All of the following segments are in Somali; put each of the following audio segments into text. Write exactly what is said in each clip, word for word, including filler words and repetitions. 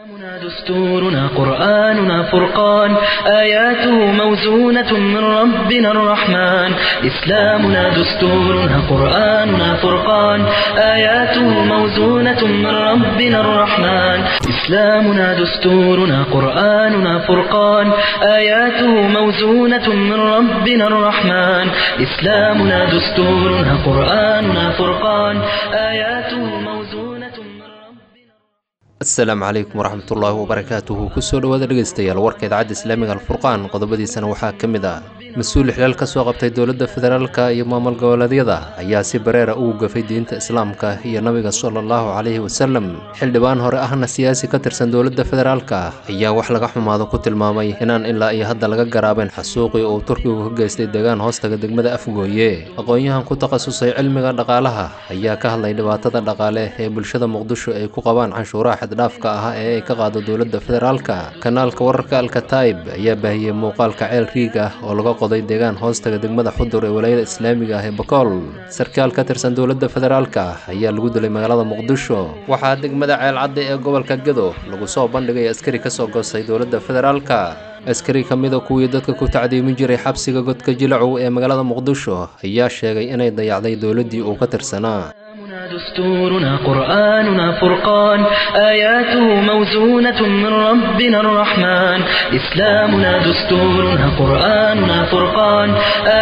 دستورنا قرآننا فرقان آياته موزونة من ربنا الرحمن إسلامنا دستورنا قرآننا فرقان آياته موزونة من ربنا الرحمن إسلامنا دستورنا قرآننا فرقان آياته موزونة من ربنا الرحمن إسلامنا دستورنا قرآننا فرقان آياته موزونة من Asalaamu calaykum waraxmatullaahi wabarakaatuhu. Kusoo dhawaada dhegeystayaal warka idaacadda Islaamiga Alfurqaan, qodobadiisana waxaa ka mid ah: mas-uul xilaal ka soo qabtay dowladda federaalka iyo maamul goboleedyada ayaa si bareera ugu gafay diinta Islaamka iyo nabiga sala allahu calayhi wasalam. Xildhibaan hore ahna siyaasi ka tirsan dowladda federaalka ayaa wax laga xumaado ku tilmaamay inaan ilaa iyo hadda laga garaabin xasuuqii uu Turkigu ka geystay deegaan hoostaga degmada Afgooye. Aqoon-yahan ku takhasusay cilmiga dhaqaalaha ayaa ka hadlay dhibaatada dhaqaale ee bulshada Muqdisho ay ku qabaan canshuuraha xaddhaafka ah ee ay ka qaado dowladda federaalka. Kanaalka wararka Alkataib ayaa baahiyey muuqaalka ceel riig ah oo laga qoday deegaan hoostaga degmada Xudur ee walaayada islaamiga ah ee Bakool. Sarkaal ka tirsan dowladda federaalka ayaa lagu dilay magaalada Muqdisho. Waxaa degmada Ceelcadda ee gobolka Gedo lagu soo bandhigay askari kasoo goostay dowladda federaalka. Askari ka mida kuwii dadka ku tacdiimin jiray xabsiga Godka Jilacow ee magaalada Muqdisho ayaa sheegay inay dayacday dowladdii uu ka tirsanaa. دستورنا قرآننا فرقان آياته موزونة من ربنا الرحمن إسلامنا دستورنا قرآننا فرقان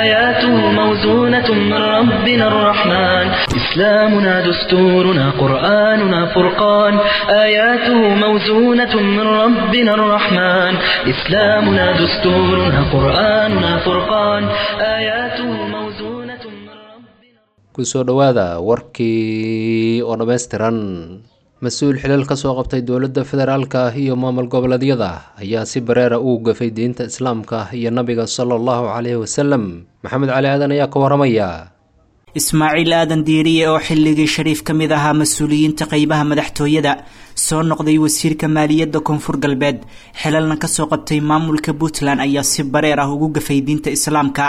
آياته موزونة من ربنا الرحمن إسلامنا دستورنا قرآننا فرقان آياته موزونة من ربنا الرحمن إسلامنا دستورنا قرآننا فرقان آياته موزونة من ربنا Kusoo dhawaada warkii oo dhammaystiran. Mas-uul xilal ka soo qabtay dowladda federaalka iyo maamul goboleedyada ayaa si bareera ugu gafay diinta Islaamka iyo nabiga sala allahu calayhi wasalam. Maxamed Cali Aadan ayaa ka waramaya. Ismaaciil Aadan Diiriye oo xilligii Shariif ka mid ahaa mas-uuliyiinta qeybaha madaxtooyada, soo noqday wasiirka maaliyadda Koonfur Galbeed, xilalna kasoo qabtay maamulka Puntland, ayaa si bareer ah ugu gafay diinta Islaamka.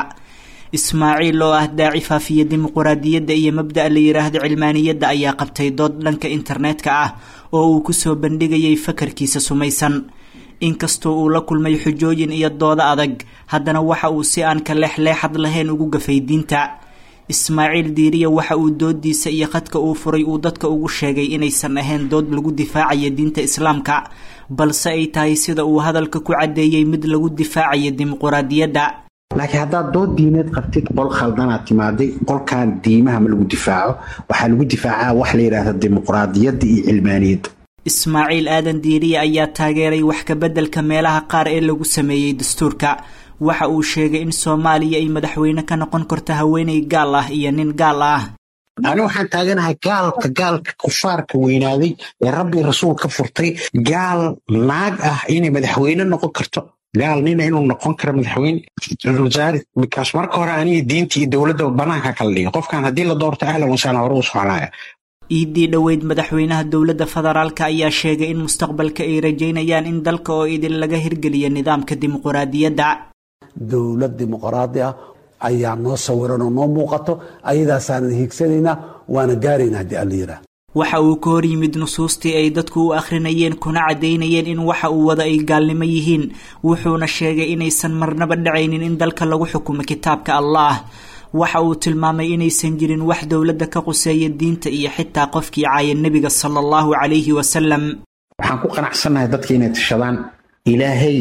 Ismaaciil oo ah daaci faafiya dimuquraadiyadda iyo mabda'a la yidhaahdo cilmaaniyadda ayaa qabtay dood dhanka internetka ah oo uu kusoo bandhigayay fakarkiisa sumaysan. Inkastoo uu la kulmay xujooyin iyo doodo adag, haddana waxa uu si aan ka leexleexad lahayn ugu gafay diinta. Ismaaciil Diiriya waxa uu doodiisa iyo khadka uu furay uu dadka ugu sheegay inaysan ahayn dood lagu difaacayo diinta Islaamka, balse ay tahay, sida uu hadalka ku caddeeyey, mid lagu difaacayo dimuquraadiyadda. Laakiin haddaad dood diineed qabtid, qol khaldanaad timaaday. Qolkan diimaha ma lagu difaaco, waxaa lagu difaacaa wax la yidhaahda dimuqraadiyadda iyo cilmaaniyadda. Ismaaciil Aadan Diiriye ayaa taageeray wax ka beddelka meelaha qaar ee lagu sameeyey dastuurka. Waxa uu sheegay in Soomaaliya ay madaxweyne ka noqon karto haweeney gaal ah iyo nin gaal ah. Ani waxaan taaganahay gaalka gaalka kufaarka weynaaday ee Rabbi Rasuul ka furtay, gaal naag ah inay madaxweyne noqon karto, gaal nina inuu noqon karo madaxweyne wasaare, because marka hore aniga diinta iyo dowladda banaanka kala dhigay. Qofkan haddii la doorto, ahlan wasahlan, hore u soconaya. Iidii dhoweyd madaxweynaha dowladda federaalka ayaa sheegay in mustaqbalka ay rajaynayaan in dalka oo idin laga hirgeliyo nidaamka dimuquraadiyadda. Dowlad dimuqraadi ah ayaa noo sawiran oo noo muuqato, ayadaasaanan hiigsanaynaa, waana gaarayna haddii Alla yidhaah. Waxa uu ka hor yimid nusuustii ay dadku u akhrinayeen kuna caddaynayeen in waxa uu wada ay gaalnimo yihiin, wuxuuna sheegay inaysan marnaba dhacaynin in dalka lagu xukumo kitaabka Allah. Waxa uu tilmaamay inaysan jirin wax dowladda ka quseeya diinta iyo xitaa qofkii caaya nebiga sala allahu calayhi wasalam. Waxaan ku qanacsannahay dadka inay tashadaan, Ilaahay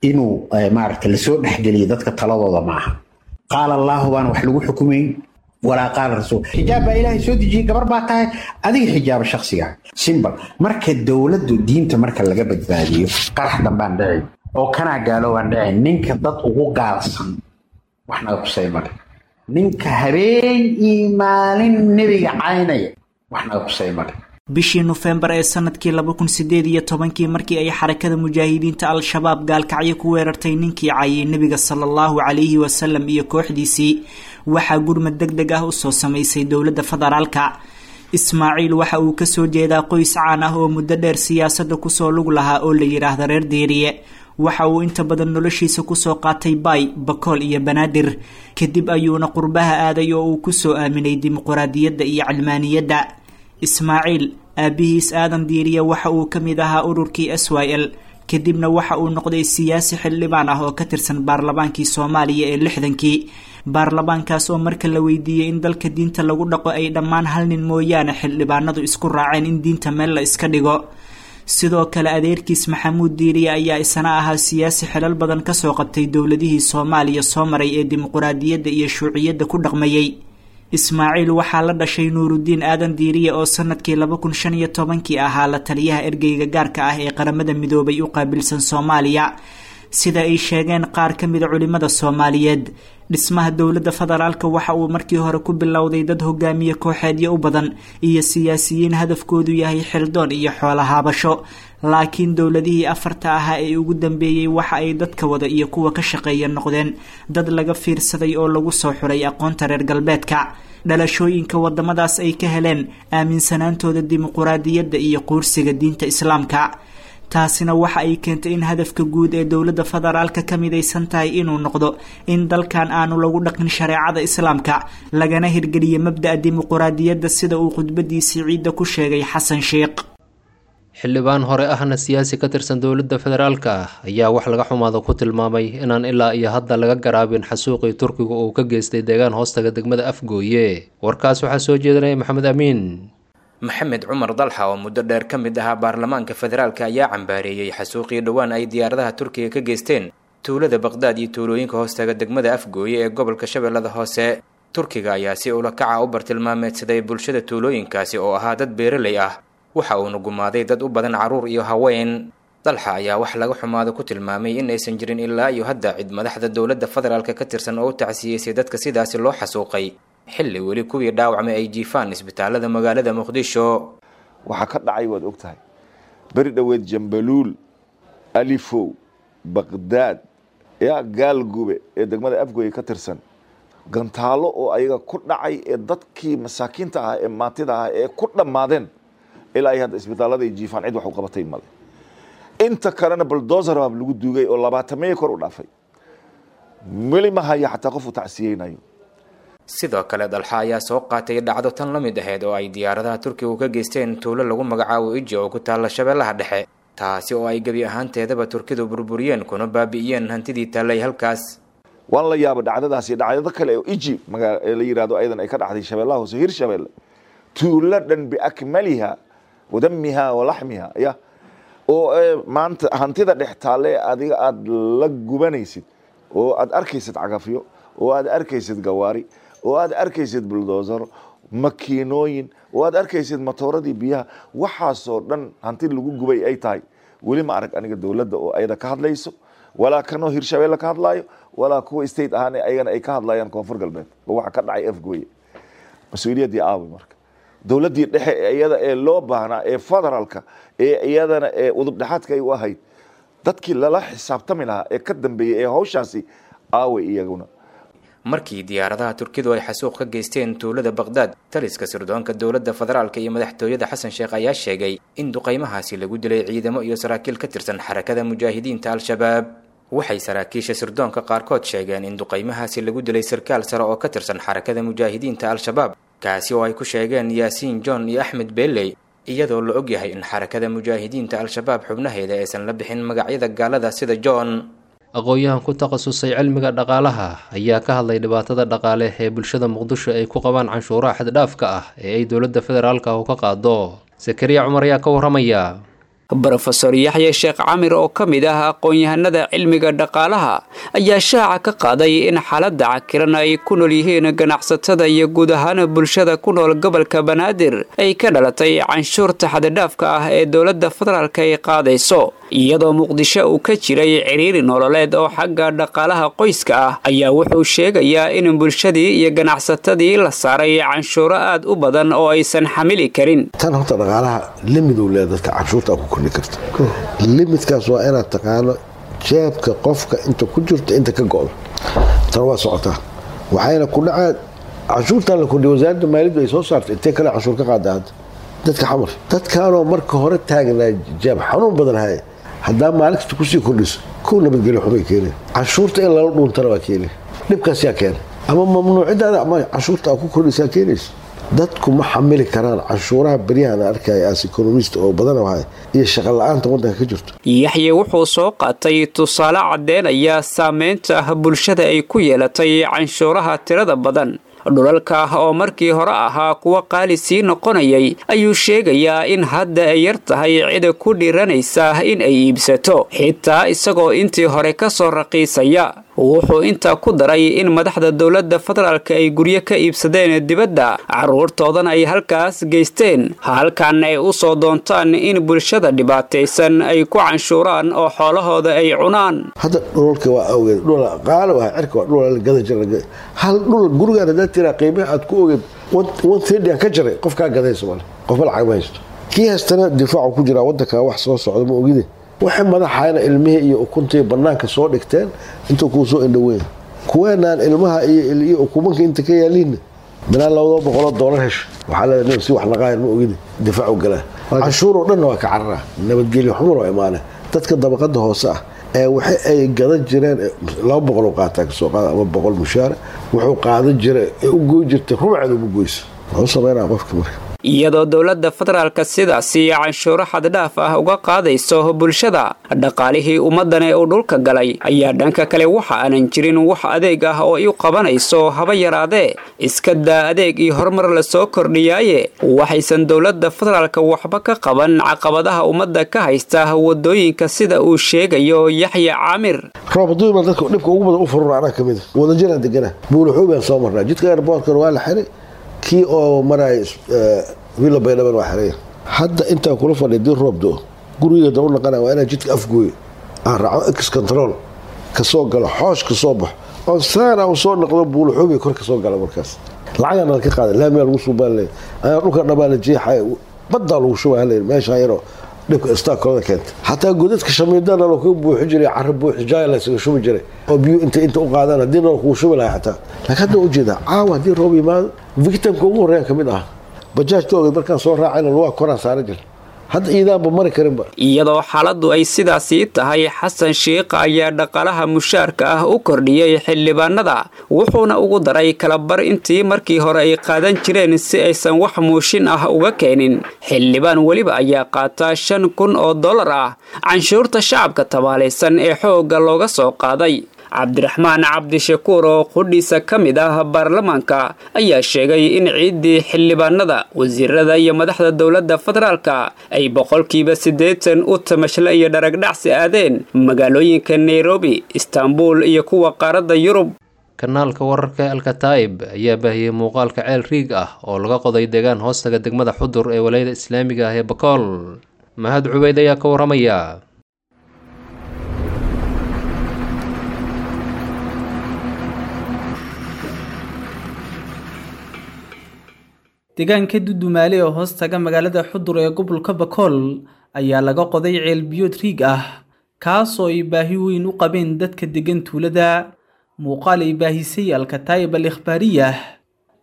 inuu maaragta lasoo dhexgeliyo dadka taladooda ma aha. Qaala Allaahu baan wax lagu xukumayn walaa qaala rasuul. Xijaab baa Ilaahay soo dejiyey, gabar baa tahay adiga, xijaaba shakhsiga, simbal. Marka dowladdu diinta marka laga badbaadiyo, qarax dambaan dhicin oo kanaa gaaloobaan dhicin. Ninka dad ugu gaalsan wax naga kusay male, ninka habeen iyo maalin nebiga caynaya wax naga kusay male. Bishii Nofembar ee sanadkii laba kun sideed iyo tobankii, markii ay Xarakada Mujaahidiinta Al-Shabaab Gaalkacyo ku weerartay ninkii caayay nebiga sala allahu calayhi wasalam iyo kooxdiisii, waxaa gurmad deg deg ah usoo samaysay dowladda federaalka. Ismaaciil waxa uu kasoo jeedaa qoys caan ah oo muddo dheer siyaasadda kusoo lug lahaa oo la yidhaahda reer Diiriye. Waxa uu inta badan noloshiisa kusoo qaatay Baay, Bakool iyo Banaadir, kadib ayuuna qurbaha aaday oo uu kusoo aaminay dimuquraadiyadda iyo cilmaaniyadda. Ismaaciil Aabihiis Aadan Diiriye waxa uu ka mid ahaa ururkii S Y L, kadibna waxa uu noqday siyaasi xildhibaan ah oo ka tirsan baarlamaankii Soomaaliya ee lixdankii. Baarlamaankaas oo marka la weydiiyey in dalka diinta lagu dhaqo ay dhammaan hal nin mooyaane xildhibaanadu isku raaceen in diinta meel la iska dhigo. Sidoo kale adeerkiis Maxamuud Diiriye ayaa isana ahaa siyaasi xilal badan kasoo qabtay dowladihii Soomaaliya soo maray ee dimuquraadiyadda iyo shuuciyadda ku dhaqmayey. Ismaaciil waxaa la dhashay Nuurudiin Aadan Diiriye oo sanadkii laba kun shan iyo tobankii ahaa la taliyaha ergeyga gaarka ah ee Qaramada Midoobay u qaabilsan Soomaaliya. Sida ay sheegeen qaar ka mida culimada Soomaaliyeed, dhismaha dowladda federaalka waxa uu markii hore ku bilowday dad hogaamiye kooxeedyo u badan iyo siyaasiyiin hadafkoodu yahay xildoon iyo xoolahaabasho, laakiin dowladihii afarta ahaa ee ugu dambeeyey waxa ay dadka wada iyo kuwa ka shaqeeya noqdeen dad laga fiirsaday oo lagu soo xuray aqoonta reer galbeedka, dhalashooyinka wadamadaas ay ka heleen aaminsanaantooda dimuquraadiyadda iyo quursiga diinta islaamka. Taasina waxa ay keentay in hadafka guud ee dowladda federaalka ka midaysan tahay inuu noqdo in dalkan aanu lagu dhaqin shareecada islaamka, lagana hirgeliyo mabda'a dimuquraadiyadda, sida uu khudbadiisii ciidda ku sheegay Xasan Sheekh. Xildhibaan hore ahna siyaasi ka tirsan dowladda federaalka ah ayaa wax laga xumaado ku tilmaamay inaan ilaa iyo hadda laga garaabin xasuuqii Turkiga uu ka geystay deegaan hoostaga degmada Afgooye. Warkaas waxaa soo jeedinaya Maxamed Amiin. Maxamed Cumar Dalxa oo muddo dheer ka mid ahaa baarlamaanka federaalka ayaa cambaareeyey xasuuqii dhowaan ay diyaaradaha Turkiga ka geysteen tuulada Baqdaad iyo tuulooyinka hoostaga degmada Afgooye ee gobolka Shabeellada Hoose. Turkiga ayaa si ula kaca u bartilmaameedsaday bulshada tuulooyinkaasi oo ahaa dad beeraley ah, waxa uuna gumaaday dad u badan carruur iyo haween. Dalxa ayaa wax laga xumaado ku tilmaamay in aysan jirin ilaa iyo hadda cid madaxda dowladda federaalka ka tirsan oo u tacsiyeysay dadka sidaasi loo xasuuqay, xilli weli kuwii dhaawacmay ay jiifaan isbitaalada magaalada Muqdisho. Waxaa ka dhacay waad og tahay, beri dhoweed Jambaluul, Alifow, Baqdaad, yaa Gaalgube ee degmada Afgooye ka tirsan, gantaalo oo ayaga ku dhacay ee dadkii masaakiinta ah ee maantida ah ee ku dhammaadeen ilaa ay hadda isbitaalada ay jiifaan, cid wax u qabatay male. Inta kalena bulldozer baa lagu duugay oo labaatameeyo kor u dhaafay, weli ma haya xataa qof u tacsiyeynayo. Sidoo kale Dalxa ayaa soo qaatay dhacdo tan la mid ahayd oo ay diyaaradaha Turkigu ka geysteen tuulo lagu magacaabo Iji oo ku taalla Shabeellaha Dhexe, taasi oo ay gebi ahaanteedaba Turkidu burburiyeen kuna baabi'iyeen hantidii taallay halkaas. Waan la yaaba dhacdadaasi, dhacdado kale oo Iji magaa la yiraahdo ayadan ay ka dhacday Shabeellaha Hoose, Hirshabeelle, tuulo dhan biakmaliha wadamiha walaxmiha ya oo maanta hantida dhex taalle adiga aada la gubanaysid oo aad arkaysid cagafyo oo aad arkaysid gawaari oo aad arkaysid bulldozer, makiinooyin, oo aad arkaysid matooradii biyaha, waxaasoo dhan hanti lagu gubay ay tahay. Weli ma arag aniga dowladda oo ayada ka hadlayso, walaa kanoo Hirshabeelle ka hadlaayo, walaa kuwa state ahaan ayagana ay ka hadlayaan Koonfur Galbeed oo waxa ka dhacay Afgooye. Mas-uuliyaddii aaway marka dowladdii dhexe ee iyada ee loo baahnaa ee federaalka ee iyadana ee udub dhexaadka ay u ahayd dadkii lala xisaabtami lahaa ee ka dambeeyey ee hawshaasi aaway iyaguna. Markii diyaaradaha Turkidu ay xasuuq ka geysteen tuulada Baqdaad, taliska sirdoonka dowladda federaalka iyo madaxtooyada Xasan Sheekh ayaa sheegay in duqaymahaasi lagu dilay ciidamo iyo saraakiil ka tirsan Xarakada Mujaahidiinta Al-Shabaab. Waxay saraakiisha sirdoonka qaarkood sheegeen in duqaymahaasi lagu dilay sarkaal sare oo ka tirsan Xarakada Mujaahidiinta Al-Shabaab, kaasi oo ay ku sheegeen Yaasiin John iyo Axmed Beeley, iyadoo la ogyahay in Xarakada Mujaahidiinta Al-Shabaab xubnaheeda aysan la bixin magacyada gaalada sida John. Aqoon-yahan ku takhasusay cilmiga dhaqaalaha ayaa ka hadlay dhibaatada dhaqaale ee bulshada Muqdisho ay ku qabaan canshuuraha xad-dhaafka ah ee ay dowladda federaalka u ka qaado. Sakariya Cumar ayaa ka warramaya. Brofesor Yaxya Sheekh Camir oo ka mid ah aqoon-yahanada cilmiga dhaqaalaha ayaa shaaca ka qaaday in xaaladda cakiran ay ku nool yihiin ganacsatada iyo guud ahaan bulshada ku nool gobolka Banaadir ay ka dhalatay canshuurta xaddhaafka ah ee dowladda federaalka ay qaadayso. Iyadoo Muqdisho uu ka jiray ciriiri nololeed oo xagga dhaqaalaha qoyska ah, ayaa wuxuu sheegayaa in bulshadii iyo ganacsatadii la saaray canshuuro aad u badan oo aysan xamili karin. Tan horta dhaqaalaha limid uu leeyahay, dadka canshuurta ku kordhi karta. Limidkaas waa inaad taqaano jeebka qofka inta ku jirto inta ka go'do. Tan waa socotaa, waxayna ku dhacaa canshuurtan la kordhiyo wasaaradda maaliyaddu ay soo saartay intee kale canshuur ka qaada hadda dadka xamar dadkaanoo marka hore taagnaa jeeb xanuun badan haya, haddaa maalin kasta kusii kordhiso kow nabadgelyo xumay keeneen, canshuurta in lala dhuuntana waa keeneen, dhibkaas yaa keena ama mamnuucidaada ama canshuurta aa ku kordhisaa keenaysa. Dadku ma xamili karaan canshuuraha beryahan arkaya as economist oo badan wahay iyo shaqo la'aanta waddanka ka jirto. Yaxye wuxuu soo qaatay tusaale caddeynaya saameynta bulshada ay ku yeelatay canshuuraha tirada badan. Dhulalka oo markii hore ahaa kuwa qaali sii noqonayay ayuu sheegayaa in hadda ay yar tahay cida ku dhiiranaysa in ay iibsato, xitaa isagoo intii hore ka soo raqiisaya. Wuxuu intaa ku daray in madaxda dowladda federaalka ay guryo ka iibsadeen dibadda, carruurtoodana ay halkaas geysteen, halkaana ay u soo doontaan in bulshada dhibaataysan ay ku canshuuraan oo xoolahooda ay cunaan. Hadda dhulalka waa awgeed dhul qaali waa cirka waa dhul la gada jira. Hal dhul gurigaan haddaad tiraa qiimaha aad ku ogeed one thirty aan ka jaray, qofkaa gadaysa male, qofba lacag ma haysto. Kii haystana difaacu ku jiraa waddanka wax soo socda ma ogide. Waxay madaxayna ilmihii iyo ukuntii bannaanka soo dhigteen intuu kuu soo indhoweyn. Kuweenaan ilmaha iyo iyo ukumanka inta ka yaaliinna bilaa labada boqoloo doolar hesho waxaa leedahay si wax naqaayan ma ogide difaacu galaa. Canshuur oo dhanna waa ka cararaa, nabadgelyo xumar oo imaane. Dadka dabaqada hoose ah ee waxa ay gadan jireen laba boqol oo qaataa kasoo qaada ama boqol mushaara wuxuu qaadan jiray ee u goy jirtay rubceed uma goyso. Wuxuu sameynaa qofka marka. Iyadoo dowladda federaalka sidaasi canshuuro xaddhaaf ah uga qaadayso bulshada, dhaqaalihii ummaddan ee uu dhulka galay ayaa dhanka kale waxa aanan jirin wax adeeg ah oo u qabanayso haba yaraadee. Iska daa adeeg iyo horumar la soo kordhiyaaye, waxaysan dowladda federaalka waxba ka qaban caqabadaha ummadda ka haysta wadooyinka sida uu sheegayo Yaxya Caamir. Roob hadduu imaan dadka dhibka ugu badan u furura anaa ka mid ah. Wadajiraan degana buulaxuubaan soo marnaa, jidka airportkana waa la xiray, kii oo maraya wiila baydhaban waa xiraya. Hadda intaan kula fadhiya dii roob do guriga da u naqanaya waa inaan jidka afgooyo, aan raaco ex control kasoo galo, xoosh kasoo baxo, oon saana u soo noqdo buulaxuubay kor kasoo gala. Markaas lacagaa nala ka qaaday, laamiyaa lagu suubaan leeyahay, ayaa dhulka dhabaa la jeexaya, baddaa lagu shubaa leeyahay meesha yaroo dhibka istaakooda keenta. Xataa godadka shamiidana loo kaga buuxi jiray, carro buuxi jaay la isaga shubi jiray oo biyo inta inta u qaadaan haddii nala kugu shubi lahaa xataa. Laakiin hadda ujeedaa caawa haddii roob yimaado victimka ugu horreeyaan ka mid ah. Bajaajka ogeed markaan soo raacayna lugaha koraan saaran jira, hadda iidaanba mari karinba. Iyadoo xaaladdu ay sidaasii tahay, Xasan Sheikh ayaa dhaqaalaha mushaarka ah u kordhiyey xildhibaanada, wuxuuna ugu daray kalabar intii markii hore ay qaadan jireen si aysan wax muushin ah uga keenin. Xildhibaan weliba ayaa qaata shan kun oo dollar ah canshuurta shacabka tabaalaysan ee xoogga looga soo qaaday. Cabdiraxmaan Cabdishakuur oo qudhiisa ka mid ah baarlamaanka ayaa sheegay in ciiddii xildhibaanada, wasiirada iyo madaxda dowladda federaalka ay boqolkiiba siddeetan u tamashle iyo dharagdhacsi aadeen magaalooyinka Nairobi, Istanbul iyo kuwa qaaradda Yurub. Kanaalka wararka Alkataib ayaa baahiyey muuqaalka ceel riig ah oo laga qoday deegaan hoostaga degmada Xudur ee walayada islaamiga ah ee Bakool. Mahad Cubeyd ayaa ka waramaya. Deegaanka Dudumaale oo hoos taga magaalada Xudur ee gobolka Bakool ayaa laga qoday ceel biyood riig ah, kaasoo ay baahi weyn u qabeen dadka degan tuulada. Muuqaal ay baahisay Alkataib al Ikhbaariyah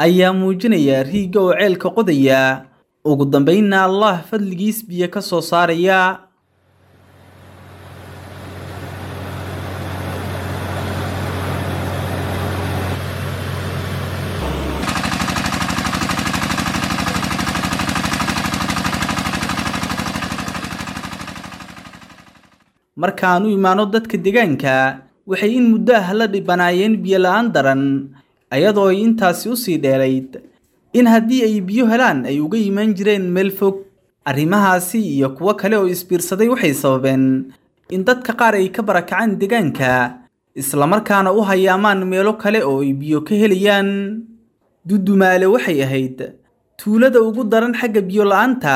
ayaa muujinaya riigga oo ceelka qodaya, ugu dambeynna Allah fadligiis biyo ka soo saaraya. Markaan u imaano dadka deegaanka, waxay in muddo ah la dhibanaayeen biyo la'aan daran, ayadoo ay intaasi usii dheerayd in haddii ay biyo helaan ay uga imaan jireen meel fog. Arrimahaasi iyo kuwo kale oo isbiirsaday waxay sababeen in dadka qaar ay ka barakacaan deegaanka, islamarkaana u hayaamaan meelo kale oo ay biyo ka helayaan. Dudumaale waxay ahayd tuulada ugu daran xagga biyo la'aanta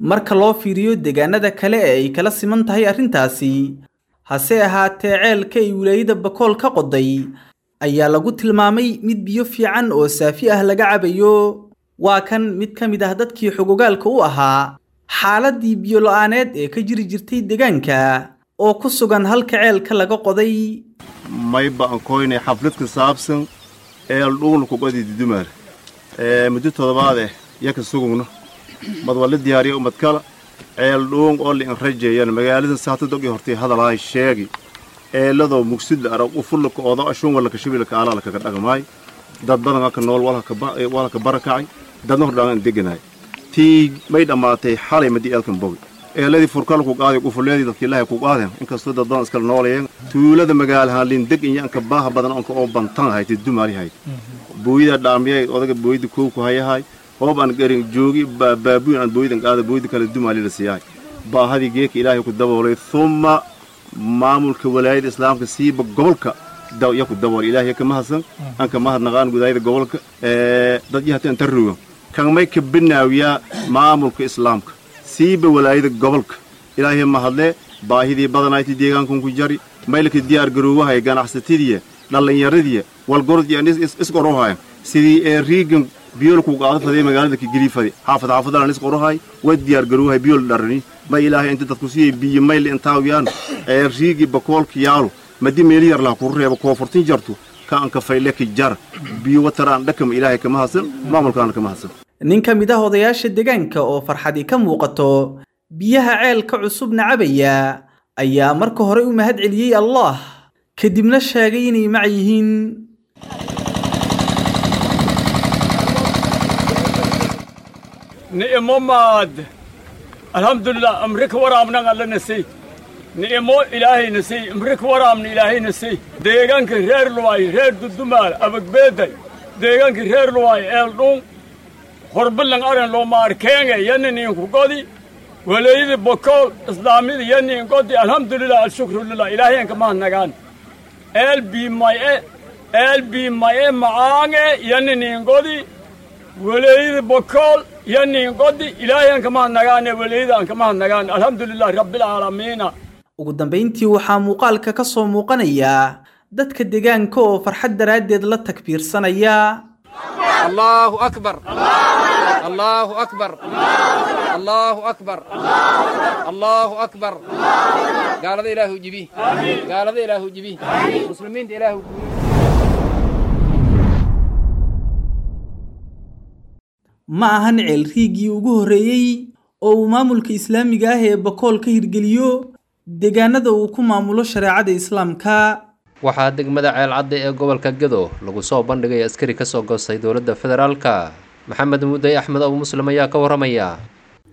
marka loo fiiriyo deegaanada kale ee ay kala siman tahay arrintaasi. Hase ahaatee, ceelka ay wilaayada Bakool ka qoday ayaa lagu tilmaamay mid biyo fiican oo saafi ah laga cabayo. Waa kan mid ka mid ah dadkii xogogaalka u ahaa xaaladdii biyo la'aaneed ee ka jiri jirtay deegaanka oo ku sugan halka ceelka laga qoday. Mayba aan koynay xaflad ka saabsan eel dhuun ku qodi Dudumaale ee muddo toddobaad eh yaka sugugno mad waa la diyaariyay ummad kala ceel dhuun oo la inrajeeyaan magaalada saatadog iyo hortay hadalahay sheegi eeladoo mugsid la arag u fullaka oodo ashuun wala kashibilka alala kaga dhaqmaay dad badan ka nool wala ka wala ka barakacay Dadna hordhaan deganaay. Tii may dhammaatay xalay madii eelkan bogi. Eeladii furkal ku qaaday qufuleedii dadkii Ilaahay ku qaadeen inkastoo dad badan iskala noolayeen tuulada magaalaha lindeg iyo anka baaha badan anka oo bantan haytay dumaali hayt. Booyida dhaamiyay odaga booyida koow ku hayahay hoob aan garin joogi baabuun aan booyidan qaada booyida kale dumaali la siiyay. Baahadii geeka Ilaahay ku daboolay thumma maamulka walaayada islaamka siiba gobolka daw ya ku dabool Ilaahay ka mahadsan anka mahadnaqaan gudaayada gobolka ee dad yahateen tarrugo kan may ka binaawiya maamulka islaamka siiba walaayada gobolka Ilaahay mahadle baahidii badanayti deegaankan ku jari maylka diyaar garoowahay ganacsatadii dhalinyaradii walgorod iyo is qorohay sidii ee riigan biyool ku qaado faday magaalada ka giliifay xaafad xaafadana is qorohay way diyaar garoowahay biyool dharani ma Ilaahay inta dadku siiyay biyo mayl intaawiyaan ee riigi bakoolka yaalo madi meel yar la ku reebo koonfurtin jarto ka an ka fayle ka jar biyo wataraan dhakam Ilaahay kama hasan maamulkaana kama hasan. Nin ka mid ah odayaasha deegaanka oo farxadii ka muuqato biyaha ceelka cusubna cabaya ayaa marka hore u mahad celiyay Allah kadibna sheegay inay mac yihiin. Ni'mo maad alhamdulillah amrik waraabna alla nasi ni'mo Ilaahay nasi amrik waraabna Ilaahay nasi deegaanka reer Luwaay reer Dudumaal abagbeeday deegaanka reer Luwaay eeldhun horbalan aran loo maarkeenga yanin ku godi walaayada bokool islaamida yanin godi alhamdulillah alshukru lillah Ilaahay ka mahadnagaan el bi may el bi may maange yanin godi walaayada bokool yanin godi Ilaahay ka mahadnagaan walaayada ka mahadnagaan alhamdulillah rabbil aalamiin. Ugu dambeyntii waxaa muuqaalka ka soo muuqanaya dadka deegaanka oo farxad daraadeed la takbiirsanaya. Allahu akbar Allahu akbar Allahu akbar Allahu akbar gaalada Ilaahu jibi gaalada Ilaahu jibi muslimiinta Ilaahu. Ma ahan ceel riigii ugu horreeyay oo uu maamulka islaamiga ah ee Bakool ka hirgeliyo deegaanada uu ku maamulo shareecada islaamka. Waxaa degmada Ceel Cadde ee gobolka Gedo lagu soo bandhigay askari ka soo goostay dowladda federaalka. Maxamed Mudday Axmed Abu Muslim ayaa ka waramaya.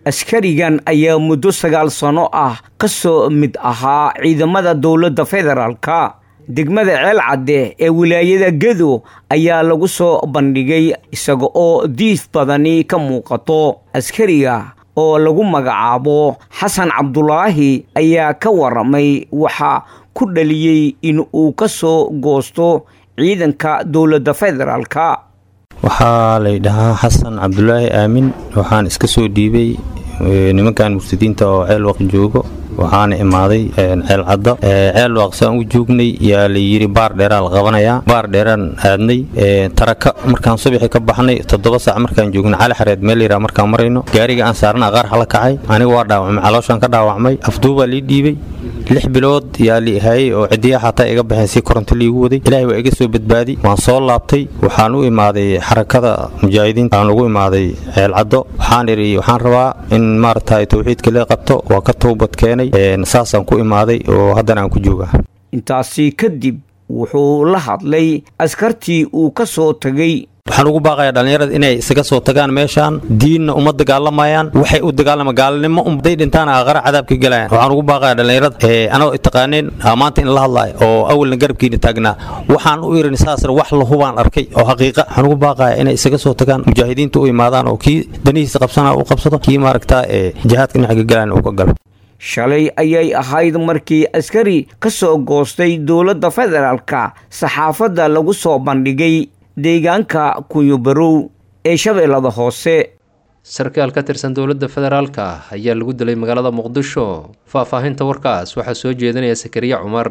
Askarigan ayaa muddo sagaal sano ah ka soo mid ahaa ciidamada dowladda federaalka. Degmada Ceel Cadde ee wilaayada Gedo ayaa lagu soo bandhigay isaga oo diif badani ka muuqato. Askariga oo lagu magacaabo Xasan Cabdulaahi ayaa ka waramay waxa ku dhaliyay in uu ka soo goosto ciidanka dowladda federaalka. Waxaa la yidhahaa Xasan Cabdulaahi Aamin. Waxaan iska soo dhiibay nimankan murtadiinta oo Ceel Waq joogo. Waxaana imaaday Ceel Cadda. Ceel Waq saan u joognay yaa la yiri baar dheeraa la qabanayaa. Baar dheeraan aadnay taraka markaan subaxii ka baxnay toddoba saac markaan joognay Cali Xareed meel yira markaan marayno gaariga aan saarnaa qaar xala kacay. Aniga waa dhaawacmay, calooshaan ka dhaawacmay, afduubaa lii dhiibay. Lix bilood yaa li hayay oo cidiya xataa iga baxeen si koronto liigu waday. Ilaahay waa iga soo badbaadi. Waan soo laabtay. Waxaan u imaaday xarakada mujaahidiinta. Aan ugu imaaday Ceel Caddo. Waxaan iri waxaan rabaa in maaragtay tawxiidka la qabto. Waa ka toobad keenay saasaan ku imaaday oo haddana aan ku joogaa. Intaasi kadib wuxuu la hadlay askartii uu ka soo tagay. Waxaan ugu baaqayaa dhalinyarada inay isaga soo tagaan meeshaan. Diinna uma dagaalamayaan, waxay u dagaalamaan gaalnimo umday dhintaan aakhira cadaabka galayaan. Waxaan ugu baaqayaa dhalinyarada ee anoo taqaaneen maanta in la hadlaayo oo awalna garabkiina taagnaa. Waxaan u irin saasna wax la hubaan arkay oo xaqiiqa. Waxaan ugu baaqayaa inay isaga soo tagaan mujaahidiinta u imaadaan oo kii danihiisa qabsanaa uu qabsado, kii maaragtaa ee jihaadka dhinaca galayaan uu ka galo. Shalay ayay ahayd markii askari ka soo goostay dowladda federaalka saxaafadda lagu soo bandhigay deegaanka Kunyo-Barow ee Shabeellada Hoose. Sarkaal ka tirsan dowladda federaalka ayaa lagu dilay magaalada Muqdisho. Faahfaahinta warkaas waxaa soo jeedinaya Sakariya Cumar.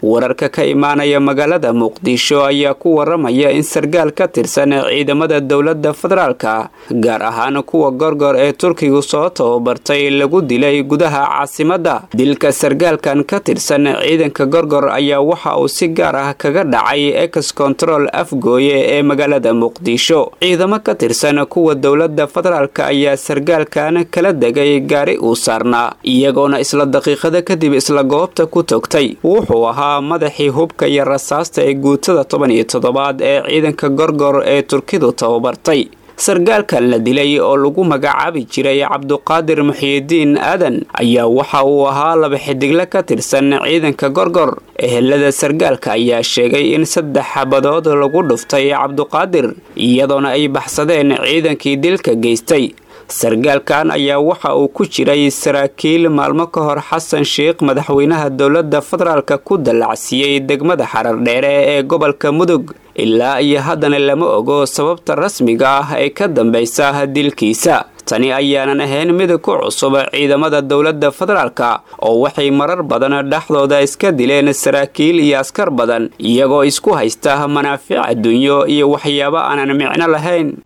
Wararka ka imaanaya magaalada Muqdisho ayaa ku waramaya in sargaal ka tirsan ciidamada dowladda federaalka gaar ahaan kuwa gorgor ee Turkigu soo tababartay lagu dilay gudaha caasimadda. Dilka sargaalkan ka tirsan ciidanka gorgor ayaa waxa uu si gaar ah kaga dhacay ex control Afgooye ee magaalada Muqdisho. Ciidamo ka tirsan kuwa dowladda federaalka ayaa sargaalkan kala degay gaari uu saarnaa, iyagoona isla daqiiqada kadib isla goobta ku togtay. Wuxuu ahaa madaxii hubka iyo rasaasta ee guutada toban iyo toddobaad ee ciidanka gorgor ee Turkidu tababartay. Sargaalkan la dilay oo lagu magacaabi jiray Cabduqaadir Muxyidiin Aadan ayaa waxa uu ahaa laba xidigle ka tirsan ciidanka Gorgor. Ehelada sargaalka ayaa sheegay in saddex xabadood lagu dhuftay Cabduqaadir, iyadoona ay baxsadeen ciidankii dilka geystay. Sargaalkan ayaa waxa uu ku jiray saraakiil maalmo ka hor Xasan Sheikh madaxweynaha dowladda federaalka ku dallacsiiyey degmada Xarardheere ee gobolka Mudug. Ilaa iyo haddana lama ogo sababta rasmiga ah ee ka dambaysa dilkiisa. Tani ayaanan ahayn mid ku cusub ciidamada dowladda federaalka oo waxay marar badan dhexdooda iska dileen saraakiil iyo askar badan, iyagoo isku haysta manaafic adduunyo iyo waxyaabo aanan micno lahayn.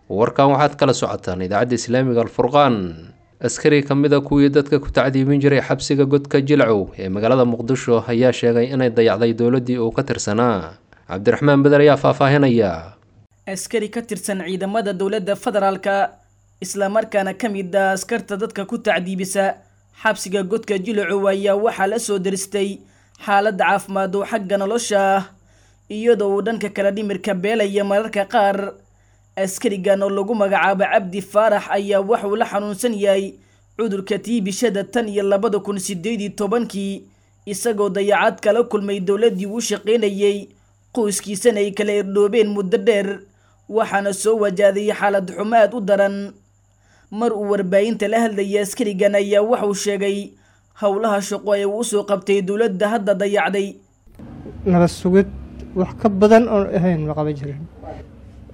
Warkan waxaad kala socotaan idaacadda islaamiga Alfurqaan. Askari ka mid a kuwii dadka ku tacdiibin jiray xabsiga godka Jilcow ee magaalada Muqdisho ayaa sheegay inay dayacday dowladdii uu ka tirsanaa. Cabdiraxmaan Beder ayaa faahfaahinaya. Askari ka tirsan ciidamada dowladda federaalka islamarkaana ka mid ah askarta dadka ku tacdiibisa xabsiga godka Jilcow ayaa waxaa la soo daristay xaalad caafimaad oo xagga nolosha ah, iyadoo uu dhanka kala dhimirka beelaya mararka qaar. Askarigan oo lagu magacaabo Cabdi Faarax ayaa wuxuu la xanuunsan yahay cudurka tiibishada tan iyo labada kun sideed iyo tobankii, isagoo dayacad kala kulmay dowladdii uu shaqaynayay, qoyskiisana ay kala irdhoobeen muddo dheer, waxaana soo wajahday xaalad xumo aad u daran. Mar uu warbaahinta la hadlayay askarigan ayaa wuxuu sheegay howlaha shaqo ee uu usoo qabtay dowladda hadda dayacday. Nabad sugid wax ka badan oon ahayn ma qaban jirin.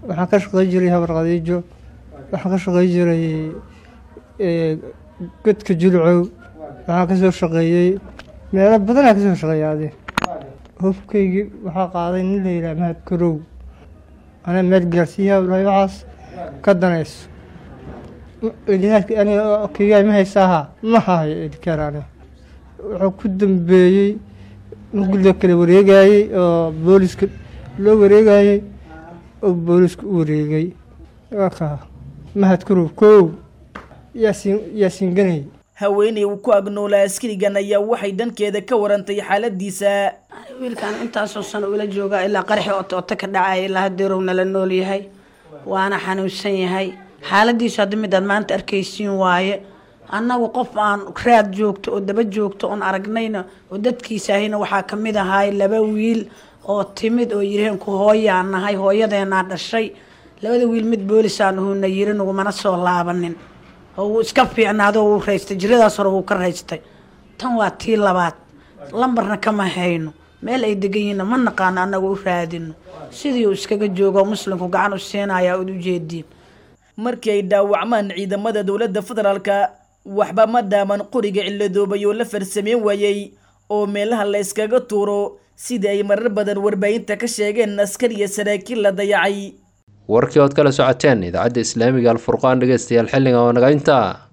Waxaan ka shaqey jiray Habar Khadiijo, waxaan ka shaqey jiray godka Jilcow, waxaan ka soo shaqeeyey meelo badanaa ka soo shaqeeyay. Adi hubkaygii waxaa qaaday nin la yidhaha Mahad Karow, anaa meel gaarsiiyaa ulahay waxaas ka danayso aniga ma haysaaha ma hahayo edikaar. Aniga wuxuu ku dambeeyey in loo kala wareegayey oo booliska loo wareegayey oo booliska u wareegay ka Mahad Karow kow yaasiin Yaasiin Ganay. Haweeney uu ku agnoolaa askarigan ayaa waxay dhankeeda ka warantay xaaladiisa. Wiilkan intaasoo sano ula joogaa ilaa qaraxi oto oto ka dhacaya ilaa hadeerow nala nool yahay, waana xanuunsan yahay. Xaaladiisu hadda midaad maanta arkaysiin waaye. Annagu qof aan raad joogto oo daba joogto oon aragnayna oo dadkiisa ahayna waxaa ka mid ahaay laba wiil oo timid oo yiraheen ku hooyaan nahay, hooyadeenaa dhashay. Labada wiil mid boolisaan uhuna yiri nagumana soo laabanin oo wuu iska fiicnaado, wuu raystay jiradaas hore wuu ka raystay. Tan waa tii labaad, lambarna kama hayno, meel ay degan yihiinna ma naqaano, annagu u raadino sidii uu iskaga joogo muslimku gacan u siinayaa ood ujeediin. Markii ay dhaawacmaan ciidamada dowladda federaalka waxba ma dhaaman qoriga ciladoobay oo la farsameyn waayey oo meelaha la iskaga tuuro, sida ay marar badan warbaahinta ka sheegeen askar iyo saraakiil la dayacay. Warkii ood kala socoteen idaacadda islaamiga Alfurqaan dhegeystayaal xilligan oo naga intaa.